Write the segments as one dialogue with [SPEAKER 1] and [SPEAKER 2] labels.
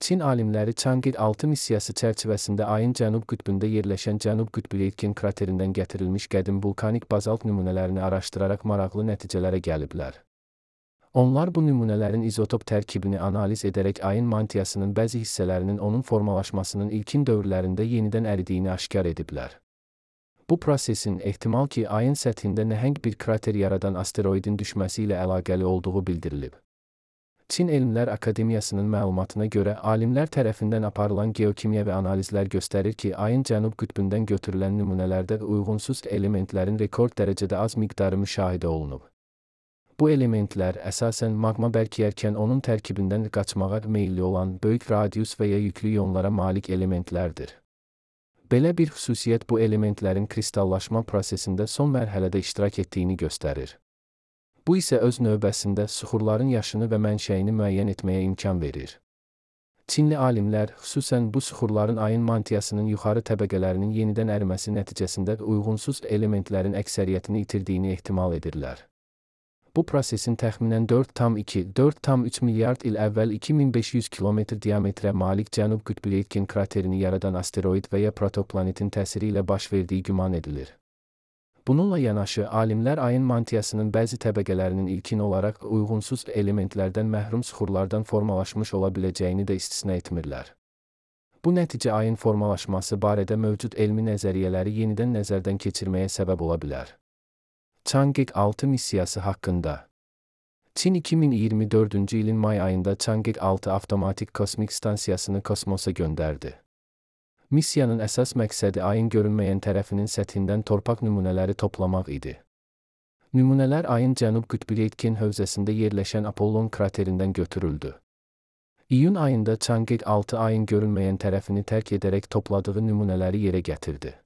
[SPEAKER 1] Çin alimləri Chang'e 6 missiyası çərçivəsində ayın cənub qütbündə yerləşən Cənub qütbü Aitken kraterindən gətirilmiş qədim vulkanik bazalt nümunələrini araşdıraraq maraqlı nəticələrə gəliblər. Onlar bu nümunələrin izotop tərkibini analiz edərək ayın mantiyasının bəzi hissələrinin onun formalaşmasının ilkin dövrlərində yenidən əridiyini aşkar ediblər. Bu prosesin ehtimal ki, ayın səthində nəhəng bir krater yaradan asteroidin düşməsi ilə əlaqəli olduğu bildirilib. Çin Elmlər Akademiyasının məlumatına görə, alimlər tərəfindən aparılan geokimyəvi analizlər göstərir ki, ayın cənub qütbündən götürülən nümunələrdə uyğunsuz elementlərin rekord dərəcədə az miqdarı müşahidə olunub. Bu elementlər əsasən maqma bərkiyərkən onun tərkibindən qaçmağa meyilli olan böyük radius və ya yüklü ionlara malik elementlərdir. Belə bir xüsusiyyət bu elementlərin kristallaşma prosesində son mərhələdə iştirak etdiyini göstərir. Bu isə öz növbəsində süxurların yaşını və mənşəyini müəyyən etməyə imkan verir. Çinli alimlər xüsusən bu süxurların ayın mantiyasının yuxarı təbəqələrinin yenidən əriməsi nəticəsində uyğunsuz elementlərin əksəriyyətini itirdiyini ehtimal edirlər. Bu prosesin təxminən 4,3 milyard il əvvəl 2500 kilometr diametrə malik Cənub qütbü Aitken kraterini yaradan asteroid və ya protoplanetin təsiri ilə baş verdiyi güman edilir. Bununla yanaşı, alimlər ayın mantiyasının bəzi təbəqələrinin ilkin olaraq uyğunsuz elementlərdən məhrum süxurlardan formalaşmış ola biləcəyini də istisna etmirlər. Bu nəticə ayın formalaşması barədə mövcud elmi nəzəriyyələri yenidən nəzərdən keçirməyə səbəb ola bilər. Chang'e 6 missiyası haqqında. Çin 2024-cü ilin may ayında Chang'e 6 avtomatik kosmik stansiyasını kosmosa göndərdi. Missiyanın əsas məqsədi ayın görünməyən tərəfinin səthindən torpaq nümunələri toplamaq idi. Nümunələr ayın cənub qütbü Aitken hövzəsində yerləşən Apollon kraterindən götürüldü. İyun ayında Chang'e 6 ayın görünməyən tərəfini tərk edərək topladığı nümunələri yerə gətirdi.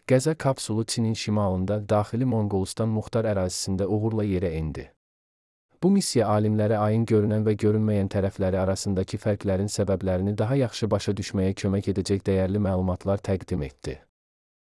[SPEAKER 1] Qəza kapsulu Çinin şimalında, daxili Monqolistan muxtar ərazisində uğurla yerə endi. Bu missiya alimlərə ayın görünən və görünməyən tərəfləri arasındakı fərqlərin səbəblərini daha yaxşı başa düşməyə kömək edəcək dəyərli məlumatlar təqdim etdi.